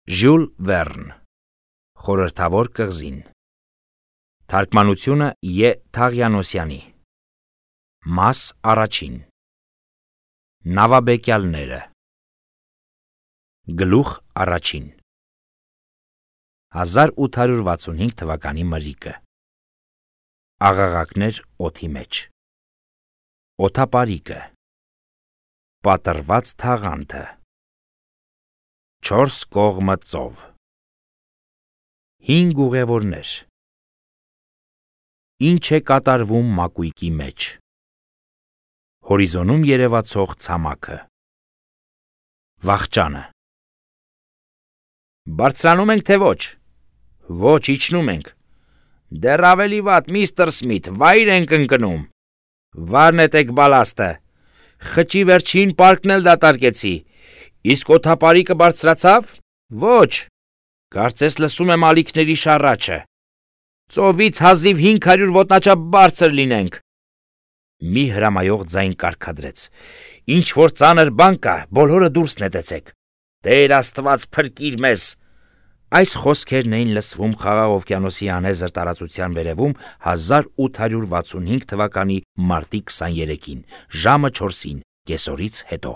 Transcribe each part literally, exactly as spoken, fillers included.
Ժյուլ Վերն, Խորհրդավոր կղզին, Թարգմանությունը Ե. Թաղյանոսյանի, Մաս առաջին, Նավաբեկյալները, Գլուխ առաջին, հազար ութ հարյուր վաթսունհինգ թվականի մրրիկը, Աղաղակներ օդի մեջ, Օդապարիկը, Պատռված թաղանթը, Չորս կողմը ծով, Հինգ ուղևորներ, Ինչ է կատարվում մակույկի մեջ, Հորիզոնում երևացող ցամաքը, Վախճանը, Բարձրանում ենք թե ոչ, Ոչ, իջնում ենք, Դեռ ավելի վատ, միստր Սմիթ, վայր ենք ընկնում, Վար նետեք բալաստը, Խճի վերջին պարկն էլ դատարկեցի, Իսկ օդապարիկը բարձրացավ, Ոչ, Կարծես լսում եմ ալիքների շառաչը, Ծովից հազիվ հինգ հարյուր ոտնաչափ բարձր լինենք, Մի հրամայող ձայն կարգադրեց, Ինչ որ ծանր բան կա, բոլորը դուրս նետեցեք, Տեր Աստված փրկիր մեզ, Այս խոսքերն էին լսվում Խաղաղ օվկիանոսի անհեզր տարածության վերևում հազար ութ հարյուր վաթսունհինգ թվականի մարտի քսաներեքին, ժամը չորսին, կեսօրից հետո։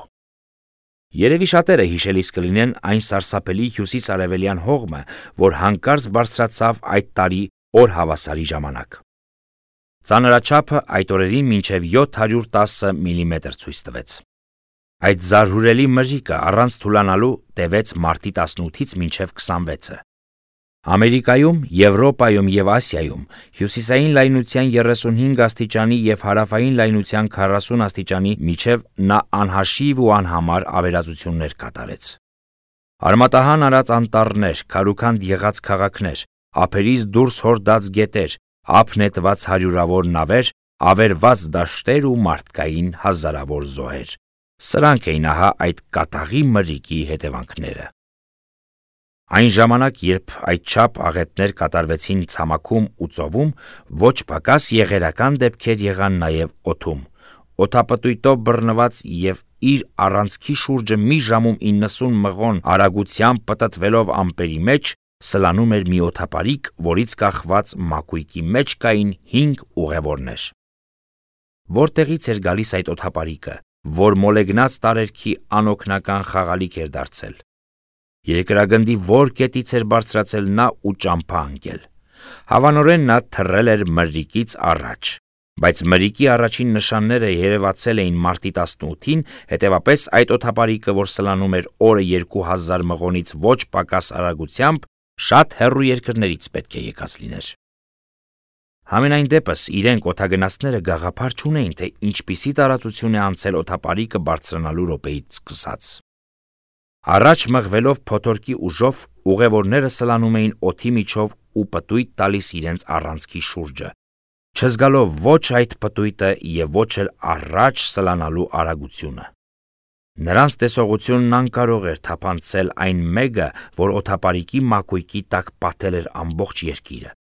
Երևի շատերը հիշելիս կլինեն այն սարսափելի հյուսիս-արևելյան հողմը, որ հանկարծ բարձրացավ այդ տարի օրհավասարի ժամանակ։ Ծանրաչափը այդ օրերին մինչև յոթ հարյուր տասը միլիմետր ցույց տվեց։ Այդ զարհուրելի մրրիկը առանց թուլանալու տևեց մարտի տասնութից մինչև քսանվեցը։ Ամերիկայում, Եվրոպայում և Ասիայում հյուսիսային լայնության երեսունհինգ աստիճանի և հարավային լայնության քառասուն աստիճանի միջև նա անհաշիվ ու անհամար ավերածություններ կատարեց։ Արմատահան արած անտառներ, քարուքանդ եղած քաղաքներ, ափերից դուրս հորդած գետեր, ափ նետված հարյուրավոր նավեր, ավերված դաշտեր ու մարդկային հազարավոր զոհեր։ Սրանք էին ահա այդ կատաղի մրրիկի հետևանքները։ Այն ժամանակ, երբ այդչափ աղետներ կատարվեցին ցամաքում ու ծովում, ոչ պակաս եղերական դեպքեր եղան նաև օդում։ Օդապտույտով բռնված և իր առանցքի շուրջը մի ժամում իննսուն մղոն արագությամբ պտտվելով ամպերի մեջ, սլանում էր մի օդապարիկ, որից կախված մակույկի մեջ կային հինգ ուղևորներ։ Որտեղից էր գալիս այդ օդապարիկը, որ մոլեգնած տարերքի անօգնական խաղալիք էր դարձել։ Երկրագնդի որ կետից էր բարձրացել նա ու ճամփա ընկել։ Հավանորեն նա թռել էր մրրիկից առաջ, բայց մրրիկի առաջին նշանները երևացել էին մարտի տասնութին, հետևապես այդ օդապարիկը, որ սլանում էր օրը երկու հազար մղոնից ոչ պակաս արագությամբ, շատ հեռու երկրներից պետք է եկած լիներ։ Համենայն դեպս իրենք օդագնացները գաղափար չունեին, թե ինչպիսի տարածություն է անցել օդապարիկը բարձրանալու րոպեից սկսած։ Առաջ մղվելով փոթորկի ուժով ուղևորները սլանում էին օդի միջով ու պտույտ տալիս իրենց առանցքի շուրջը, չզգալով ոչ այդ պտույտը և ոչ էլ առաջ սլանալու արագությունը։ Նրանց տեսողությունն անկարող էր թափանցել այն մեկը, որ օդապարիկի մակույկի տակ պատել էր ամբողջ երկիրը։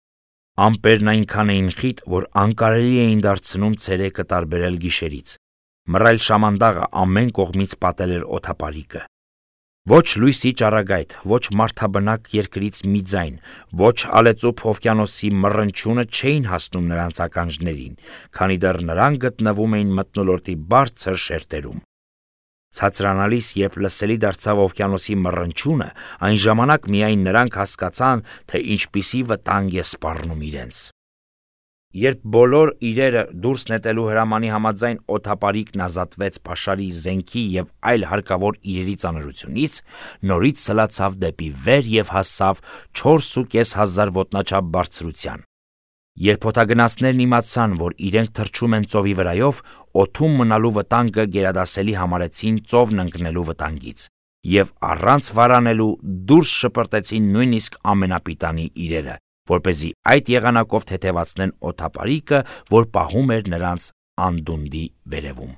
Ամպերն այնքան էին խիտ, որ անկարելի էին դարձնում ցերեկը տարբերել գիշերից։ Մռայլ շամանդաղը ամեն կողմից պատել էր օդապարիկը։ Ոչ լույսի ճառագայթ, ոչ մարդաբնակ երկրից մի ձայն, ոչ ալեծուփ օվկիանոսի մռնչյունը չէին հասնում նրանց ականջներին, քանի դեռ նրանք գտնվում էին մթնոլորտի բարձր շերտերում։ Ցածրանալիս, երբ լսելի դարձավ օվկիանոսի մռնչյունը, այն ժամանակ միայն նրանք հասկացան, թե ինչպիսի վտանգ է սպառնում իրենց։ Երբ բոլոր իրերը դուրս նետելու հրամանի համաձայն օդապարիկն ազատվեց փաշարի, զենքի և այլ հարկավոր իրերի ծանրությունից, նորից սլացավ դեպի վեր և հասավ չորս ու կես հազար ոտնաչափ բարձրության։ Երբ օդագնացներն իմացան, որ իրենք թռչում են ծովի վրայով, օդում մնալու վտանգը գերադասելի համարեցին ծովն ընկնելու վտանգից և առանց վարանելու դուրս շպրտեցին նույնիսկ ամենապիտանի իրերը, որպեսզի այդ եղանակով թեթևացնեն օդապարիկը, որ պահում էր նրանց անդունդի վերևում։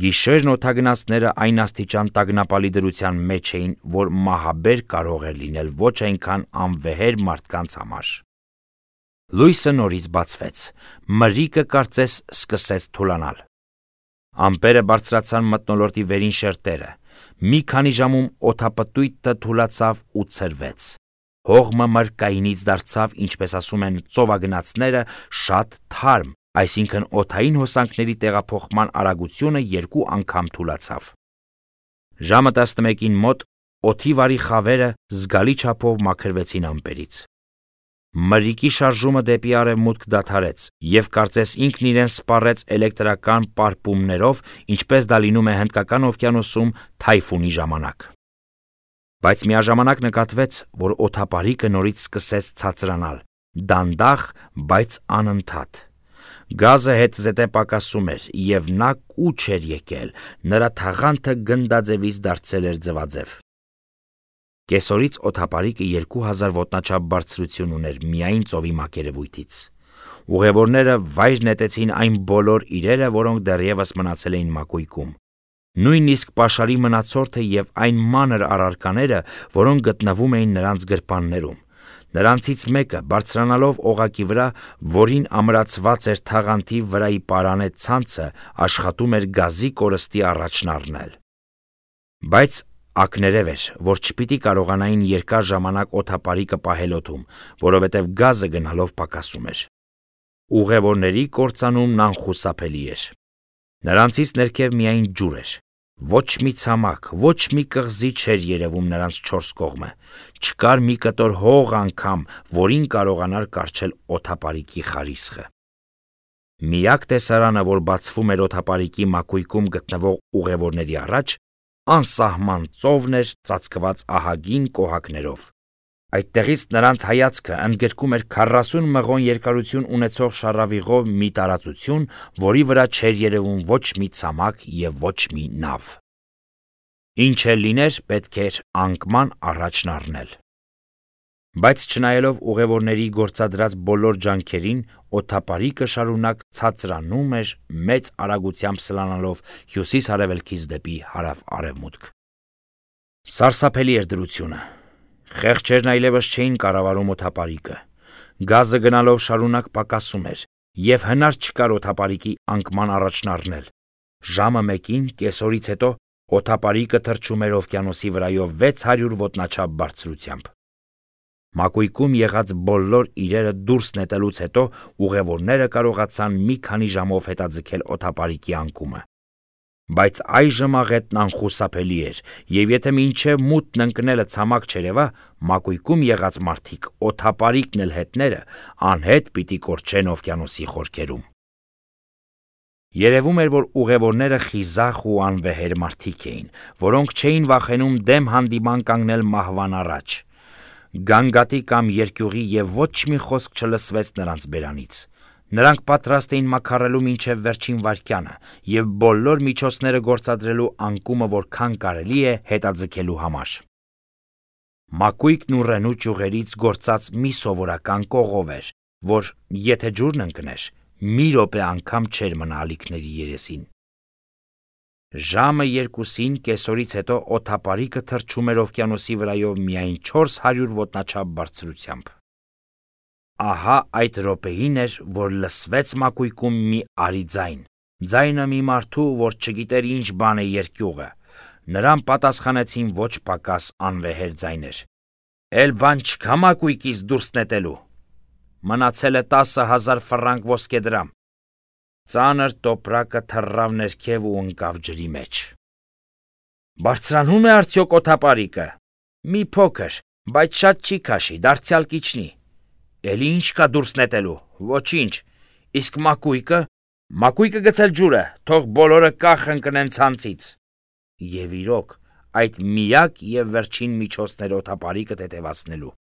Գիշերն օդագնացները այն աստիճան տագնապալի դրության մեջ էին, որ մահաբեր կարող էր լինել ոչ այնքան անվեհեր մարդկանց համար։ Լույսը նորից բացվեց, մրրիկը կարծես սկսեց թուլանալ։ Ամպերը բարձրացան մթնոլորտի վերին շերտերը, Մի քանի ժամում օդապտույտը թուլացավ ու ցրվեց։ Հողմը մրկայինից դարձավ, ինչպես ասում են ծովագնացները, շատ թարմ, այսինքն օդային հոսանքների տեղափոխման արագությունը երկու անգամ թուլացավ։ Ժամը տասնմեկին մոտ օդի վարի խավերը զգալի չափով մաքրվեցին ամպերից։ Մրրիկի շարժումը դեպի արևմուտք դադարեց, և կարծես ինքն իրեն սպառեց էլեկտրական պարպումներով, ինչպես դա լինում է Հնդկական օվկիանոսում թայֆունի ժամանակ։ Բայց միաժամանակ նկատվեց, որ օդապարիկը նորից սկսեց ցածրանալ, դանդաղ, բայց անընդհատ։ Գազը հետզհետե պակասում էր, և նա կուչ էր եկել, նրա թաղանթը գնդաձևից դարձել էր ձվաձև։ Կեսօրից օդապարիկը երկու հազար ոտնաչափ բարձրություն ուներ միայն ծովի մակերևույթից։ Ուղևորները վայր նետեցին այն բոլոր իրերը, որոնք դեռևս մնացել էին մակույկում։ Նույնիսկ պաշարի մնացորդը և այն մանր առարկաները, որոնք գտնվում էին նրանց գրպաններում։ Նրանցից մեկը, բարձրանալով օղակի վրա, որին ամրացված էր թաղանթի վրայի պարանե ցանցը, աշխատում էր գազի կորստի առաջն առնել։ Բայց ակներև էր, որ չպիտի կարողանային երկար ժամանակ օդապարիկը պահել օդում, որովհետև գազը գնալով պակասում էր։ Ուղևորների կործանումն անխուսափելի էր։ Նրանցից ներքև միայն ջուր էր։ Ոչ մի ցամաք, ոչ մի կղզի չէր երևում նրանց չորս կողմը, չկար մի կտոր հող անգամ, որին կարողանար կառչել օդապարիկի խարիսխը։ Միակ տեսարանը, որ բացվում էր օդապարիկի մակույկում գտնվող ուղևորների առաջ, անսահման ծովն էր ծածկված ահագին կոհակներով։ Այդտեղից նրանց հայացքը ընդգրկում էր քառասուն մղոն երկարություն ունեցող շառավիղով մի տարածություն, որի վրա չէր երևում ոչ մի ցամաք և ոչ մի նավ։ Ինչ էլ լիներ, պետք էր անկման առաջն առնել։ Բայց չնայելով ուղևորների գործադրած բոլոր ջանքերին, օդապարիկը շարունակ ցածրանում էր, մեծ արագությամբ սլանալով հյուսիս-արևելքից դեպի հարավ-արևմուտք։ Սարսափելի էր դրությունը։ Խեղճերն այլևս չէին կառավարում օդապարիկը։ Գազը գնալով շարունակ պակասում էր, և հնար չկար օդապարիկի անկման առաջն առնել։ Ժամը մեկին, կեսօրից հետո, օդապարիկը թռչում էր օվկիանոսի վրայով վեց հարյուր ոտնաչափ բարձրությամբ։ Մակույկում եղած բոլոր իրերը դուրս նետելուց հետո ուղևորները կարողացան մի քանի ժամով հետաձգել օդապարիկի անկումը։ Բայց այժմ աղետն անխուսափելի էր, և եթե մինչև մութն ընկնելը ցամաք չերևա, մակույկում եղած մարդիկ, օդապարիկն էլ հետները, անհետ պիտի կորչեն օվկիանոսի խորքերում։ Երևում էր, որ ուղևորները խիզախ ու անվեհեր մարդիկ էին, որոնք չէին վախենում դեմ հանդիման կանգնել մահվան առաջ։ Գանգատի կամ երկյուղի և ոչ մի խոսք չլսվեց նրանց բերանից։ Նրանք պատրաստ էին մաքարելու մինչև վերջին վայրկյանը և բոլոր միջոցները գործադրելու անկումը որքան կարելի է հետաձգելու համար։ Մակույկն ու Ռենու ճյուղերից գործած մի սովորական կողով էր, որ, եթե ջուրն ընկներ, մի րոպե անգամ չէր մնա ալիքների երեսին։ Ժամը երկուսին կեսօրից հետո օդապարիկը թռչում էր օվկիանոսի վրայով միայն չորս հարյուր ոտնաչափ բարձրությամբ։ Ահա այդ րոպեին էր, որ լսվեց մակույկում մի արի ձայն, ձայնը մի մարդու, որ չգիտեր ինչ բան է երկյուղը։ Նրան պատասխանեցին ոչ պակաս անվեհեր ձայներ։ «Էլ բան չկա մակույկից դուրս նետելու։ Մնացել է տասը հազար ֆրանկ ոսկեդրամ»։ Ծանր տոպրակը թռավ ներքև ու ընկավ ջրի մեջ։ «Բարձրանում է արդյոք օդապարիկը»։ «Մի փոքր, բայց շատ չի քաշի, դարձյալ կիջնի»։ «Էլի ինչ կա դուրս նետելու»։ «Ոչինչ»։ «Իսկ մակույկը»։ «Մակույկը գցել ջուրը, թող բոլորը կախ ընկնեն ցանցից»։ Եվ իրոք, այդ միակ և վերջին միջոցն էր օդապարիկը թեթևացնելու։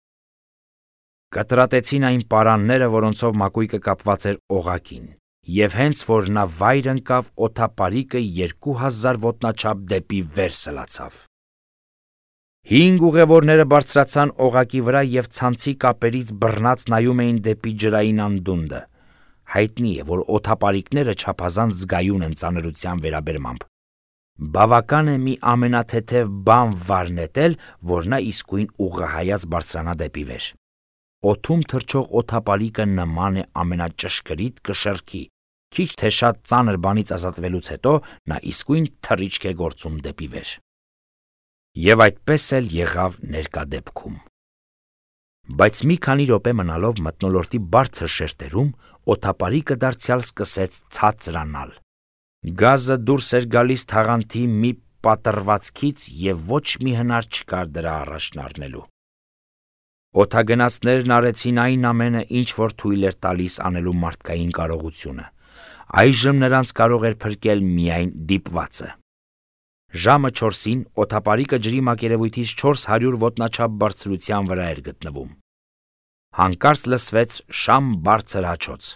Կտրատեցին այն պարանները, որոնցով մակույկը կապված էր օղակին, և հենց որ նա վայր ընկավ, օդապարիկը երկու հազար ոտնաչափ դեպի վեր սլացավ։ Հինգ ուղևորները բարձրացան օղակի վրա և ցանցի կապերից բռնած նայում էին դեպի ջրային անդունդը։ Հայտնի է, որ օդապարիկները չափազանց զգայուն են ծանրության վերաբերմամբ։ Բավական է մի ամենաթեթև բան վար նետել, որ նա իսկույն ուղղահայաց բարձրանա դեպի վեր։ Օդում թռչող օդապարիկը նման է ամենաճշգրիտ կշեռքի, քիչ թե շատ ծանր բանից ազատվելուց հետո նա իսկույն թռիչք է գործում դեպի վեր։ Եվ այդպես էլ եղավ ներկա դեպքում։ Բայց մի քանի րոպե մնալով մթնոլորտի բարձր շերտերում, օդապարիկը դարձյալ սկսեց ցածրանալ։ Գազը դուրս էր գալիս թաղանթի մի պատռվածքից և ոչ մի հնար չկար դրա առաջն առնելու։ Օդագնացներն արեցին այն ամենը, ինչ որ թույլ էր տալիս անելու մարդկային կարողությունը։ Այժմ նրանց կարող էր փրկել միայն դիպվածը։ Ժամը չորսին օդապարիկը ջրի մակերևույթից չորս հարյուր ոտնաչափ բարձրության վրա էր գտնվում։ Հանկարծ լսվեց շամ բարձր հաչոց։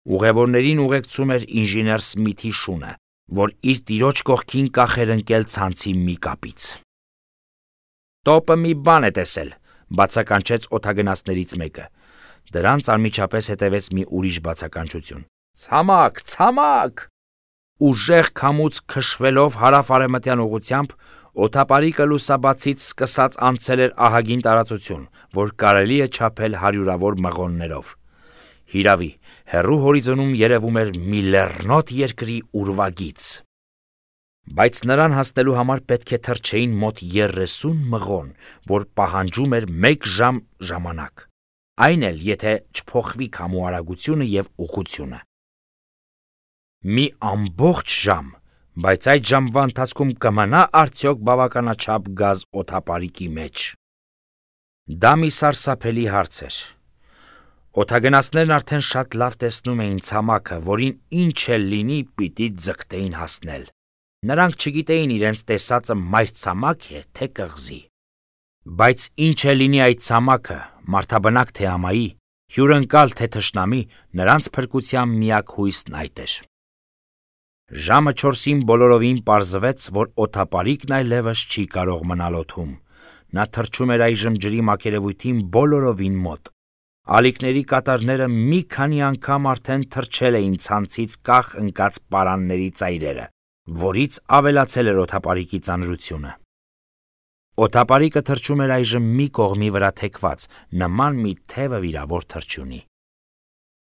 Ուղևորներին ուղեկցում էր ինժեներ Սմիթի շունը, որ իր տիրոջ կողքին կախ էր ընկել ցանցի մի կապից։ «Տոպը մի բան է տեսել», բացականչեց օդագնացներից մեկը։ Դրանց անմիջապես հետևեց մի ուրիշ բացականչություն. «Ցամաք, ցամաք»։ Ուժեղ քամուց քշվելով հարավ-արևմտյան ուղղությամբ, օդապարիկը լուսաբացից սկսած անցել էր ահագին տարածություն, որ կարելի է չափել հարյուրավոր մղոններով։ Հիրավի, հեռու հորիզոնում երևում էր մի լեռնոտ երկրի ուրվագիծ։ Բայց նրան հասնելու համար պետք է թռչեին մոտ երեսուն մղոն, որ պահանջում էր մեկ ժամ ժամանակ, այն էլ եթե չփոխվի քամու արագությունը և ուղղությունը։ Մի ամբողջ ժամ, բայց այդ ժամվա ընթացքում կմնա արդյոք բավականաչափ գազ օդապարիկի մեջ։ Դա մի սարսափելի հարց էր։ Օդագնացներն արդեն շատ լավ տեսնում էին ցամաքը, որին ինչ էլ լինի պիտի ձգտեին հասնել։ Նրանք չգիտեին իրենց տեսածը մայրցամաք է, թե կղզի։ Բայց ինչ է լինի այդ ցամաքը, մարդաբնակ թե ամայի, հյուրընկալ թե թշնամի, նրանց փրկության միակ հույսն այդ էր։ Ժամը չորսին բոլորովին պարզվեց, որ օդապարիկն այլևս չի կարող մնալ օդում։ Նա թռչում էր այժմ ջրի մակերևույթին բոլորովին մոտ։ Ալիքների կատարները մի քանի անգամ արդեն թռչել էին ցանցից կախ ընկած պարանների ծայրերը, որից ավելացել էր օդապարիկի ծանրությունը։ Օդապարիկը թռչում էր այժմ մի կողմի վրա թեքված, նման մի թևը վիրավոր թռչյունի։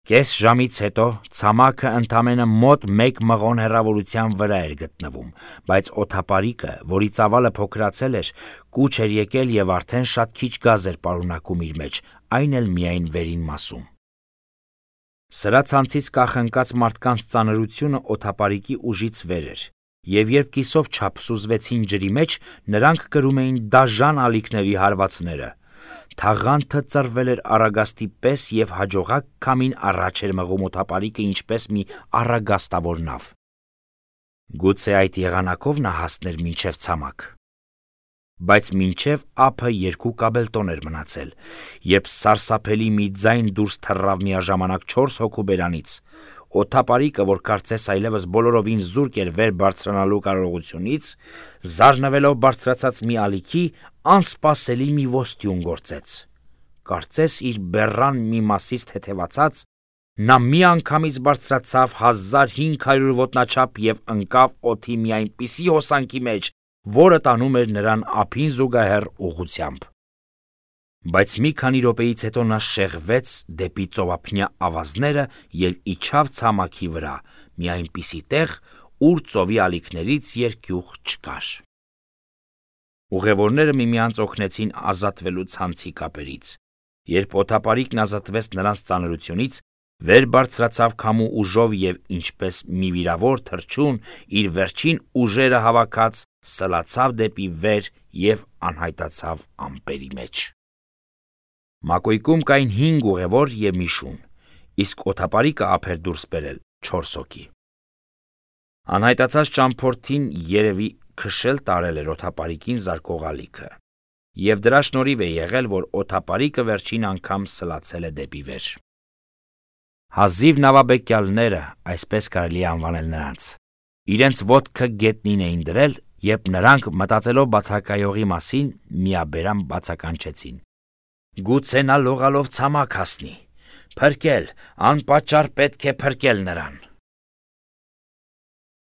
Կես ժամից հետո ցամաքը ընդամենը մոտ մեկ մղոն հեռավորության վրա էր գտնվում, բայց օդապարիկը, որի ծավալը փոքրացել էր, կուչ էր եկել և արդեն շատ քիչ գազ էր պարունակում իր մեջ, այն էլ միայն վերին մասում։ Սրա ցանցից կախ ընկած մարդկանց ծանրությունը օդապարիկի ուժից վեր էր, և երբ կիսով չափ սուզվեցին ջրի մեջ, նրանք կրում էին դաժան ալիքների հարվածները։ Թաղանթը ծռվել էր առագաստի պես և հաջողակ քամին առաջ էր մղում օդապարիկը ինչպես մի առագաստավոր նավ։ Գուցե այդ եղանակով նա հասներ մինչև ցամաք։ Բայց մինչև ափը երկու կաբելտոն էր մնացել, երբ սարսափելի մի ձայն դուրս թռավ միաժամանակ չորս հոգու բերանից։ Օդապարիկը, որ կարծես այլևս բոլորովին զուրկ էր վեր բարձրանալու կարողությունից, զարնվելով բարձրացած մի ալիքի, անսպասելի մի ոստյուն գործեց։ Կարծես իր բեռան մի մասից թեթևացած, նա մի անգամից բարձրացավ հազար հինգ հարյուր ոտնաչափ և ընկավ օդի մի այնպիսի հոսանքի մեջ, որը տանում էր նրան ափին զուգահեռ ուղղությամբ։ Բայց մի քանի րոպեից հետո նա շեղվեց դեպի ծովափնյա ավազները և իջավ ցամաքի վրա, մի այնպիսի տեղ, ուր ծովի ալիքներից երկյուղ չկար։ Ուղևորները միմյանց օգնեցին ազատվելու ցանցի կապերից։ Երբ օդապարիկն ազատվեց նրանց ծանրությունից, վեր բարձրացավ քամու ուժով և ինչպես մի վիրավոր թռչուն, իր վերջին ուժերը հավաքած, սլացավ դեպի վեր և անհայտացավ ամպերի մեջ։ Մակույկում կային հինգ ուղևոր և մի շուն, իսկ օդապարիկը ափ էր դուրս բերել չորս հոգի։ Անհայտացած ճամփորդին երևի քշել տարել էր օդապարիկին զարկող ալիքը, և դրա շնորհիվ է եղել, որ օդապարիկը վերջին անգամ սլացել է դեպի վեր։ Հազիվ նավաբեկյալները, այսպես կարելի է անվանել նրանց, իրենց ոտքը գետնին էին դրել, երբ նրանք, մտածելով բացակայողի մասին, միաբերան բացականչեցին. «Գուցե նա լողալով ցամաք հասնի, փրկել, անպատճառ պետք է փրկել նրան»։